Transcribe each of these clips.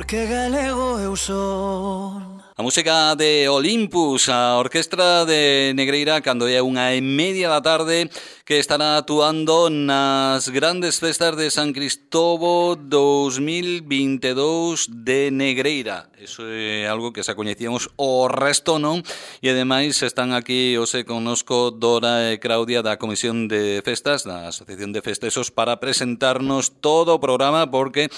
que galego eu son. A música de Olympus, a Orquestra de Negreira, cando é 1:30 da tarde, que estará actuando nas grandes festas de San Cristóbal 2022 de Negreira. Eso é algo que xa coñecíamos, o resto non. E ademais están aquí hoxe connosco Dora e Claudia da Comisión de Festas, da Asociación de Festexos, para presentarnos todo o programa, porque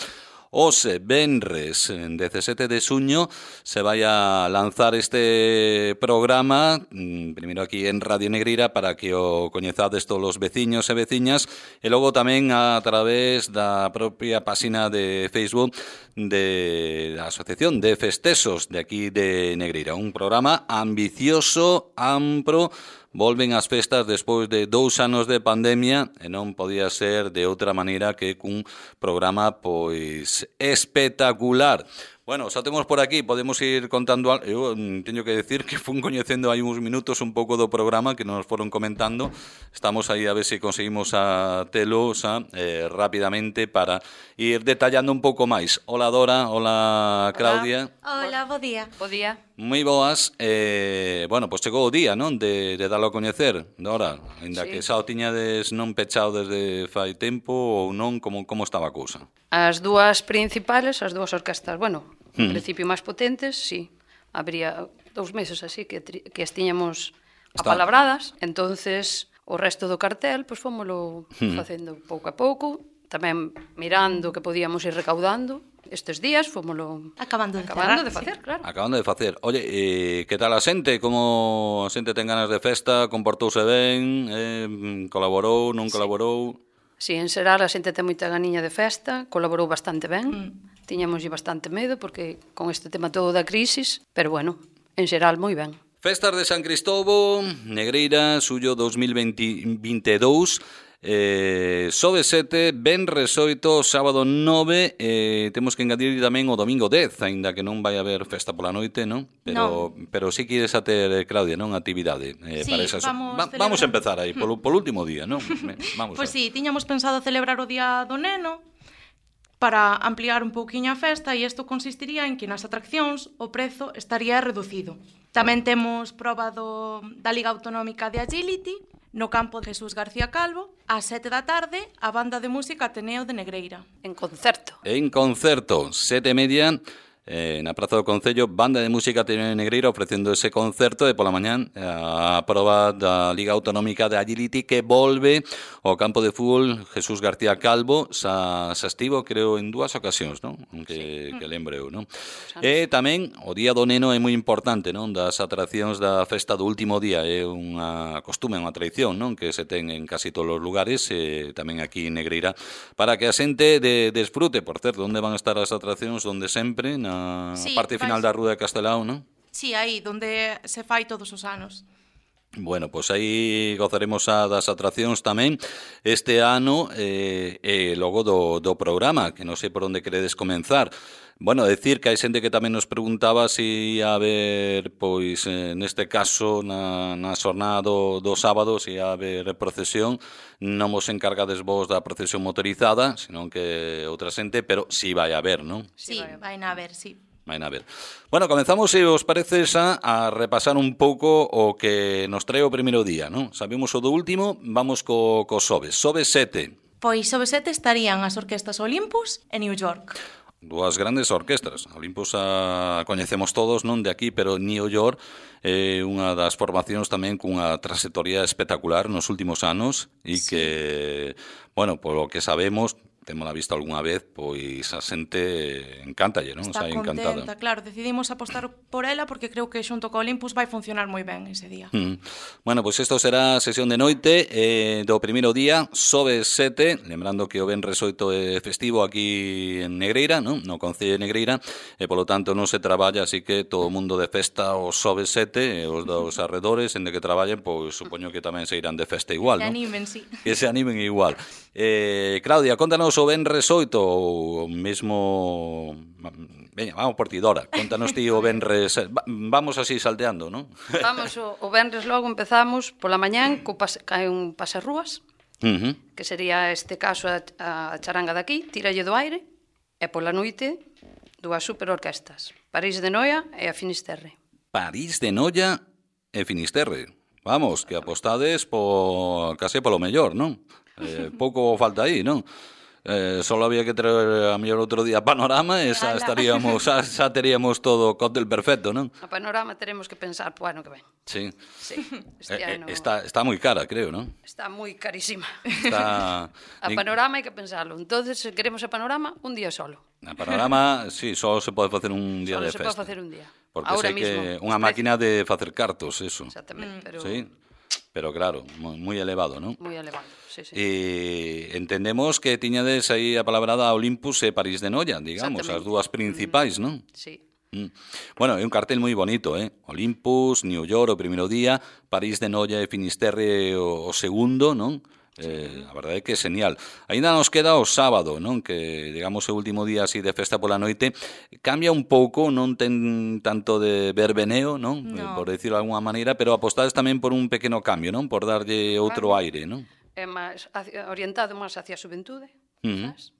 hoxe, venres, 17 de xuño, se vai a lanzar este programa, primeiro aquí en Radio Negreira, para que o coñezades todos os veciños e veciñas, e logo tamén a través da propia página de Facebook da Asociación de Festexos de aquí de Negreira. Un programa ambicioso, amplo. Volven as festas despois de 2 anos de pandemia e non podía ser de outra maneira que cun programa pois espectacular. Bueno, xa temos por aquí, podemos ir contando algo. Eu teño que decir que fun coñecendo hai uns minutos un pouco do programa que nos foron comentando. Estamos aí a ver se conseguimos a telo rapidamente para ir detallando un pouco máis. Hola Dora, hola Claudia. Hola, bo día. Bo día. Moi boas. Bueno, pois chegou o día, non? De darlo a coñecer, Dora. Ainda Sí. que xa o tiñades non pechado desde fai tempo ou non, como estaba a cousa? As dúas principales, as dúas orquestas, bueno, en principio máis potentes, sí. Habría 2 meses así que as tiñamos apalabradas, entonces o resto do cartel, pois fómolo facendo pouco a pouco, tamén mirando que podíamos ir recaudando. Estes días fómolo Acabando de facer, claro. Acabando de facer. Oye, que tal a xente? Como a xente ten ganas de festa? Comportouse ben? Colaborou? Non colaborou? Si, en xeral, a xente ten moita ganiña de festa, colaborou bastante ben, tiñamoslle bastante medo, porque con este tema todo da crisis, pero bueno, en xeral, moi ben. Festas de San Cristóbal, Negreira, suyo 2022, Xoves 7, venres 8, sábado 9, temos que engadir tamén o domingo 10, aínda que non vai haber festa pola noite, non? Pero sí que ides a ter, Claudia, non? Actividade para esas. Vamos a empezar aí, polo último día, non? Pois sí, tiñamos pensado celebrar o Día do Neno para ampliar un pouquiño a festa, e isto consistiría en que nas atraccións o prezo estaría reducido. Tamén temos proba da Liga Autonómica de Agility no campo de Jesús García Calvo, ás 7 da tarde, a banda de música Ateneo de Negreira. En concerto. En concerto, 7:30, na Praza do Concello, banda de música Ateneo de Negreira ofrecendo ese concerto, e pola mañán a proba da Liga Autonómica de Agility, que volve ao campo de fútbol Jesús García Calvo. Xa estivo, creo, en 2 ocasións, non? Que lembro eu, non? E tamén o Día do Neno é moi importante, non? Das atraccións da festa do último día, é unha costume, unha tradición, non? Que se ten en casi todos os lugares, tamén aquí en Negreira, para que a xente desfrute. Por certo, onde van a estar as atraccións? Onde sempre, na parte final da Rúa de Castelao, non? Sí, aí, donde se fai todos os anos. Bueno, pois aí gozaremos das atraccións tamén este ano, e logo do programa, que non sei por onde queredes comenzar. Bueno, decir que hai xente que tamén nos preguntaba se ia haber, pois, neste caso, na xornada do sábado, se ia haber procesión. Non vos encargades vos da procesión motorizada, senón que outra xente, pero si vai haber, non? Sí, vai na haber, sí. Vaina a ver. Bueno, comenzamos, se os parece, a repasar un pouco o que nos trae o primeiro día, non? Sabemos o do último, vamos co Xoves. Xoves 7. Pois Xoves 7 estarían as orquestas Olympus e New York. 2 grandes orquestras. Olympus a coñecemos todos, non de aquí, pero New York é unha das formacións tamén cunha trayectoria espectacular nos últimos anos, e sí, que, bueno, polo que sabemos, témola visto algunha vez, pois a xente encántalle, non? Está contenta, claro, decidimos apostar por ela porque creo que xunto co Olympus vai funcionar moi ben ese día. Bueno, pois isto será a sesión de noite do primeiro día, Xoves 7, lembrando que o venres 8 é festivo aquí en Negreira, non? No Concello de Negreira, e polo tanto non se traballa, así que todo o mundo de festa o Xoves 7, e os dos arredores, en de que traballen, pois supoño que tamén se irán de festa igual, non? Que animen, sí. Que se animen igual. Claudia, contanos o venres 8 ou mesmo... Veña, vamos por ti, Dora. Contanos ti o venres... Vamos así salteando, non? Vamos, o venres logo empezamos pola mañán, cae un pasarrúas, que sería este caso a charanga daqui, tíralle do aire, e pola noite dúas superorquestas, París de Noia e a Finisterre. París de Noia e Finisterre. Vamos, que apostades case polo mellor, non? Pouco falta aí, non? Solo había que traer a mellor outro día Panorama e xa estaríamos, xa teríamos todo o cóctel perfecto, non? A Panorama teremos que pensar po ano que ven. Sí. Sí, este ano... Está moi cara, creo, non? Está moi carísima. Está... A Panorama hai que pensarlo. Entonces, se queremos a Panorama, un día solo. A Panorama, sí, só se pode facer un día Solo de se festa. pode facer un día. Porque Ahora sei que mismo, unha máquina de facer cartos, eso. Exactamente, pero... Sí, pero claro, moi elevado, non? Moi elevado, sí, sí. E entendemos que tiñades aí a palabrada Olympus e París de Noia, digamos, as dúas principais, non? Sí. Bueno, é un cartel moi bonito, Olympus, New York o primeiro día, París de Noia e Finisterre o segundo, non? A verdade é que é genial. Ainda nos queda o sábado, non? Que, digamos, o último día así de festa pola noite cambia un pouco, non ten tanto de verbeneo, non? No. Por decirlo de alguna maneira, pero apostades tamén por un pequeno cambio, non? Por darlle outro aire, non? É máis orientado máis hacia a xuventude, quizás.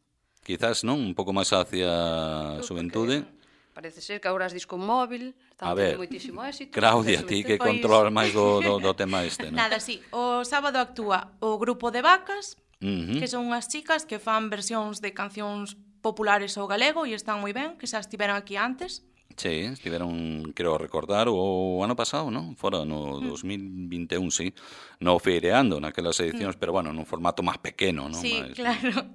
Quizás, non? Un pouco máis hacia a xuventude. Parece ser que agora as disco móvil están A ver, tendo moitísimo éxito. Claudia, ti que Pois- controlar máis do tema este, non? Nada, sí. O sábado actúa o grupo de vacas, Ujú. que son unhas chicas que fan versións de cancións populares ao galego e están moi ben, que xa estiveron aquí antes. Sí, estiveron, creo recordar, o ano pasado, non? Fora no 2021, sí. No feireando naquelas edicións, pero bueno, nun formato máis pequeno, non? Sí, Máis- claro.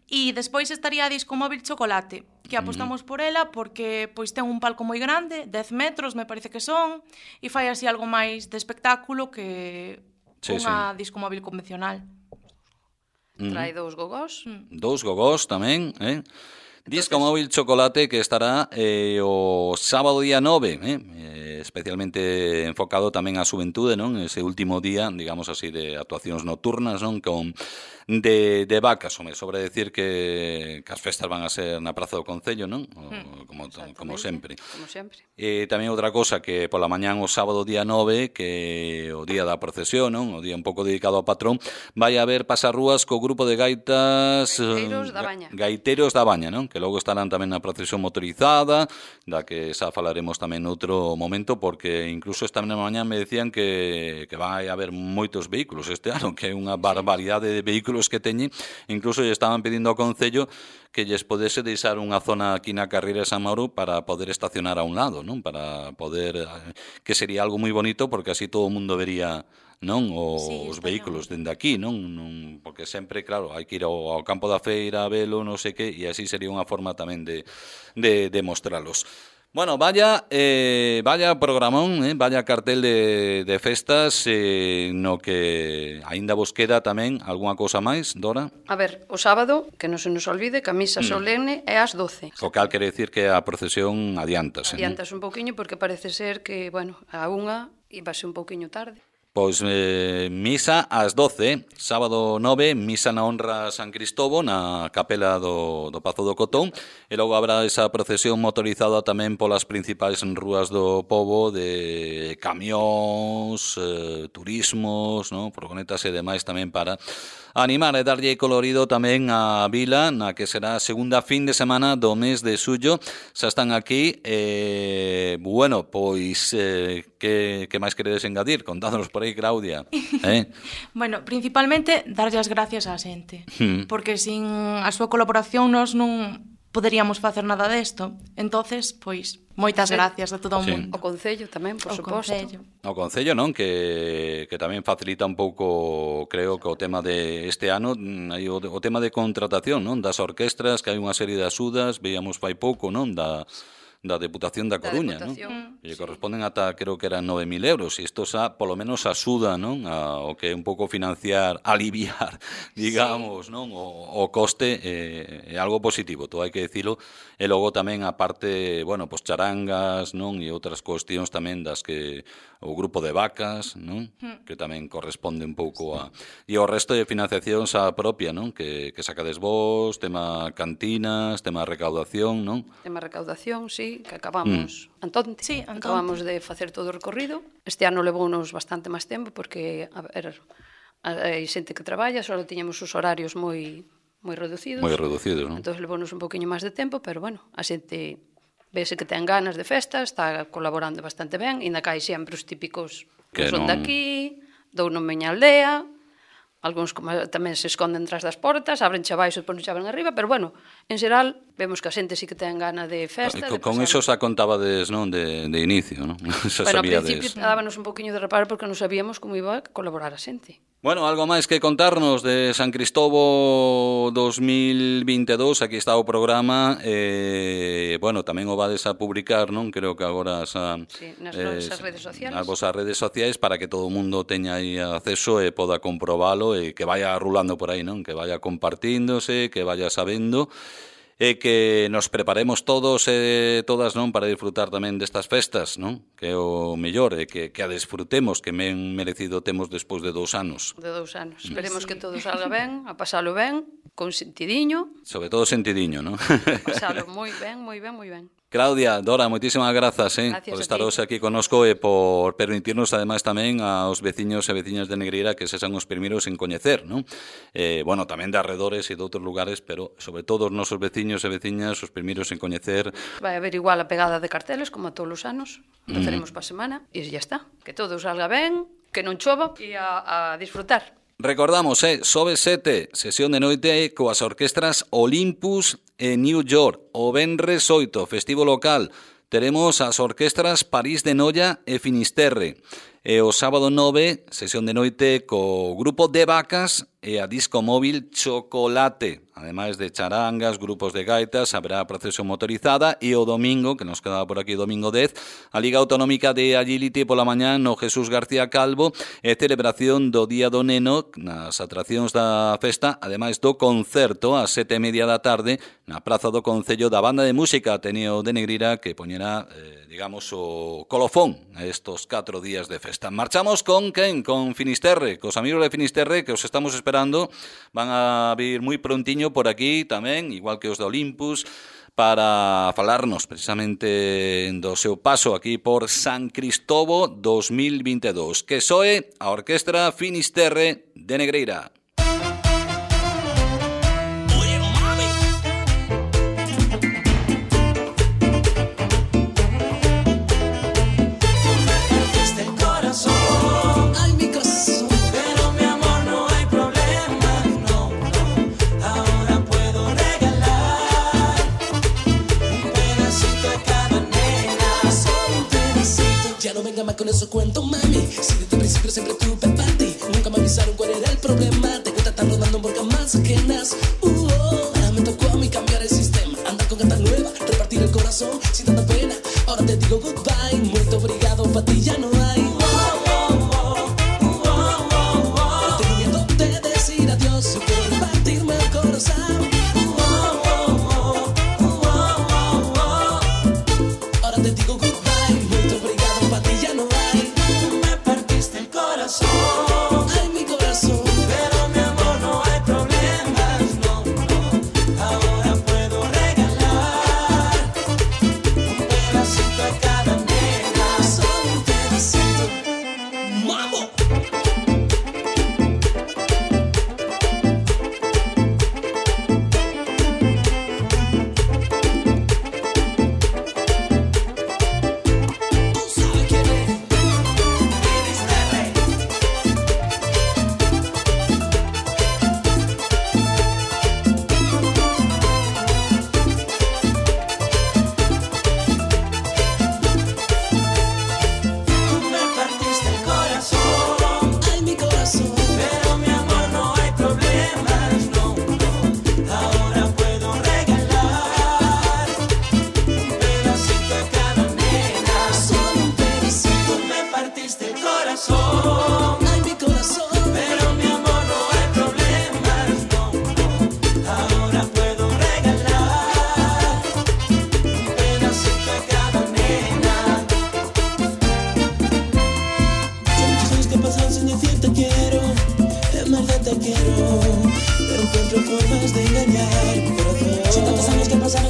E despois estaría a Disco Móvil Chocolate, que apostamos por ela porque pois ten un palco moi grande, 10 metros me parece que son, e fai así algo máis de espectáculo que Sí, unha Disco Móvil convencional. Trae dous gogós. Dous gogós tamén, Disco Móvil Chocolate que estará o sábado día 9, especialmente enfocado tamén á xuventude, non? Ese último día, digamos así, de actuacións nocturnas, non? Con de vacas, home, sobre decir que as festas van a ser na Praza do Concello, non? Como sempre. Como sempre. E tamén outra cosa que pola mañán o sábado día 9, que o día da procesión, non? O día un pouco dedicado ao patrón, vai haber pasarrúas co grupo de gaitas Gaiteiros da Baña. Gaiteiros da Baña, non? Que logo estarán tamén na procesión motorizada, da que xa falaremos tamén noutro momento, porque incluso esta mañá me decían que vai haber moitos vehículos este ano, que é unha barbaridade de vehículos que teñen, incluso lle estaban pedindo ao Concello que lles podese deixar unha zona aquí na carreira de San Mauro para poder estacionar a un lado, non? Para poder, que sería algo moi bonito, porque así todo o mundo vería, non, os vehículos dende aquí, non, porque sempre, claro, hai que ir ao campo da feira a velo, non sei que, e así sería unha forma tamén de mostralos. Bueno, vaya programón, vaya cartel de festas, no que aínda vos queda tamén algunha cousa máis, Dora? A ver, o sábado, que non se nos olvide, que a misa solemne é ás 12. O cal quere decir que a procesión adiántase, non? Adiantas un pouquiño porque parece ser que, bueno, a unha ibase un pouquiño tarde. Pois misa ás 12, sábado 9, misa na honra a San Cristobo na capela do Pazo do Cotón, e logo habrá esa procesión motorizada tamén polas principais rúas do pobo de camións, turismos, no? Furgonetas e demais tamén para animar e darlle colorido tamén a vila, na que será a segunda fin de semana do mes de xullo. Xa están aquí, bueno, pois que máis queredes engadir? Contádnos por aí, Claudia. Bueno, principalmente darlle as gracias á xente, porque sin a súa colaboración nós non poderíamos facer nada desto. Entonces, pois, moitas gracias a todo o mundo. O Concello tamén, por O suposto. Concello. O Concello, non? Que tamén facilita un pouco, creo, que o tema de este ano, hai o tema de contratación, non? Das orquestras, que hai unha serie de axudas, veíamos fai pouco, non? Da Deputación da Coruña, non? E corresponden ata, creo que eran 9.000 euros, e isto xa, polo menos, axuda, non? O que é un pouco financiar, aliviar, digamos, non? O coste é algo positivo, todo hai que dicilo, e logo tamén a parte, bueno, pues charangas, non? E outras cuestións tamén das que o grupo de vacas, non? Que tamén corresponde un pouco a... E o resto de financiación xa propia, non? Que sacades vos, tema cantinas, tema recaudación, non? Tema recaudación, sí, que acabamos antonte. Sí, antonte. Acabamos de facer todo o recorrido. Este ano levounos bastante máis tempo porque hai xente que traballa, só tiñamos os horarios moi moi reducidos. Moi reducidos, non? Entón, levounos un poquinho máis de tempo, pero, bueno, a xente vese que ten ganas de festa, está colaborando bastante ben, e ainda cae sempre os típicos que son daqui, dou na miña aldea, algúns tamén se esconden tras das portas, abren abaixo e depois non abren arriba, pero, bueno, en xeral, vemos que a xente sí que ten gana de festa. Con iso xa contabades, non, de inicio, non? Bueno, ao principio dábanos un poquinho de reparo porque non sabíamos como iba a colaborar a xente. Bueno, algo máis que contarnos de San Cristóbal 2022, aquí está o programa, bueno, tamén o vades a publicar, non? Creo que agora nas nosas redes sociais. Nas vosas redes sociais para que todo o mundo teña aí acceso e poda comprobalo e que vaya rulando por aí, non? Que vaya compartíndose, que vaya sabendo e que nos preparemos todos e todas, non, para disfrutar tamén destas festas, non? Que é o mellor, e que a desfrutemos, que ben merecido temos despois de 2 anos. De 2 anos. Esperemos que todo salga ben, a pasalo ben, con sentidiño. Sobre todo sentidiño, non? Pasalo moi ben, moi ben, moi ben. Claudia, Dora, moitísimas grazas por estar hoxe aquí connosco e por permitirnos ademais tamén aos veciños e veciñas de Negreira que sexan os primeiros en coñecer, non? Bueno, tamén de arredores e de outros lugares, pero sobre todo os nosos veciños e veciñas os primeiros en coñecer. Vai haber igual a pegada de carteles como a todos os anos, empezaremos pa semana e ya está. Que todo salga ben, que non chova e a disfrutar. Recordamos, Xoves 7, sesión de noite coas orquestras Olympus e New York. O venres 8, festivo local. Teremos as orquestras París de Noia e Finisterre. E o sábado 9, sesión de noite co grupo de Vacas e a disco móvil Chocolate. Ademais de charangas, grupos de gaitas, haberá procesión motorizada e o domingo, que nos quedaba por aquí, domingo 10, a Liga Autonómica de Agility pola mañá no Jesús García Calvo e celebración do Día do Neno nas atraccións da festa, ademais do concerto ás 7:30 da tarde na Praza do Concello da Banda de Música Ateneo de Negreira que poñerá, digamos, o colofón a estos 4 días de festa. Marchamos con quen? Con Finisterre, cos amigos de Finisterre que os estamos esperando, van a vir moi prontiño por aquí tamén, igual que os de Olympus, para falarnos precisamente do seu paso aquí por San Cristóbal 2022. Que soe a Orquestra Finisterre de Negreira. Con eso cuento, mami. Si desde el principio siempre tuve para ti, nunca me avisaron cuál era el problema. Te cuesta estar rodando por camas ajenas. Ahora me tocó a mí cambiar el sistema. Andar con gata nueva, repartir el corazón sin tanta pena. Ahora te digo goodbye, muy obrigado, para ti ya no hay. Tengo miedo de decir adiós, yo quiero repartirme el corazón. Ahora te digo goodbye, muy obrigado, para ti ya no hay. Me partiste el corazón. Ay, mi corazón. Pero mi amor, no hay problemas, no, no. Ahora puedo regalar un pedacito a cada nena. Solo un pedacito. ¡Mambo!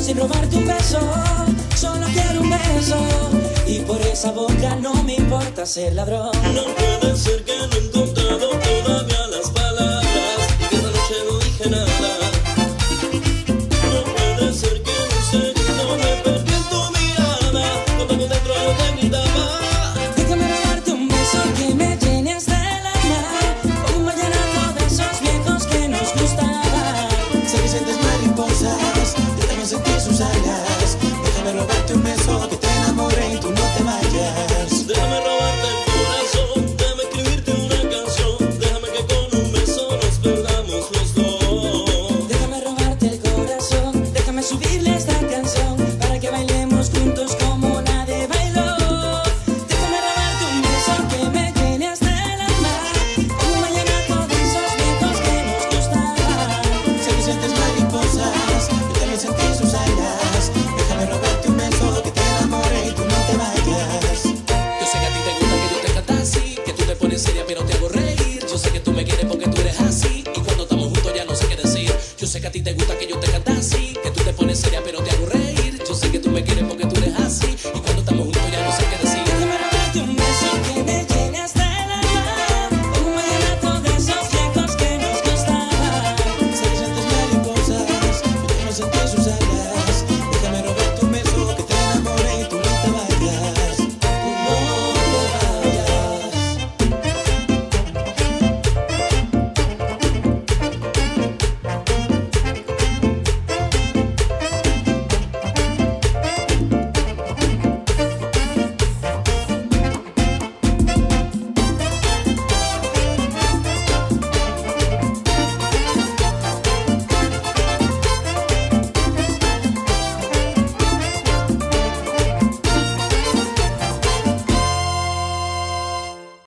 sin robarte un beso, solo quiero un beso. Y por esa boca no me importa ser ladrón. No puede ser que no he encontrado todavía las palabras y que esta noche no dije nada. mariposas, déjame sentir sus alas, déjame robarte un beso, que te enamore y tú no te vayas. Déjame robarte el corazón, déjame escribirte una canción, déjame que con un beso nos perdamos los dos. Déjame robarte el corazón, déjame subirle esta canción para que bailemos juntos como nadie bailó. Déjame robarte un beso que me llene hasta el alma, un vallenato de esos viejos que nos gustaban. Seducientes mariposas, déjame sentir sus alas, déjame robarte un beso, que te enamore y tú no te vayas. Yo sé que a ti te gusta que yo te cante así, que tú te pones seria pero te hago reír. Yo sé que tú me quieres porque tú eres así, y cuando estamos juntos ya no sé qué decir. Yo sé que a ti te gusta que yo te cante así, que tú te pones seria pero te hago reír. Yo sé que tú me quieres porque tú eres así, y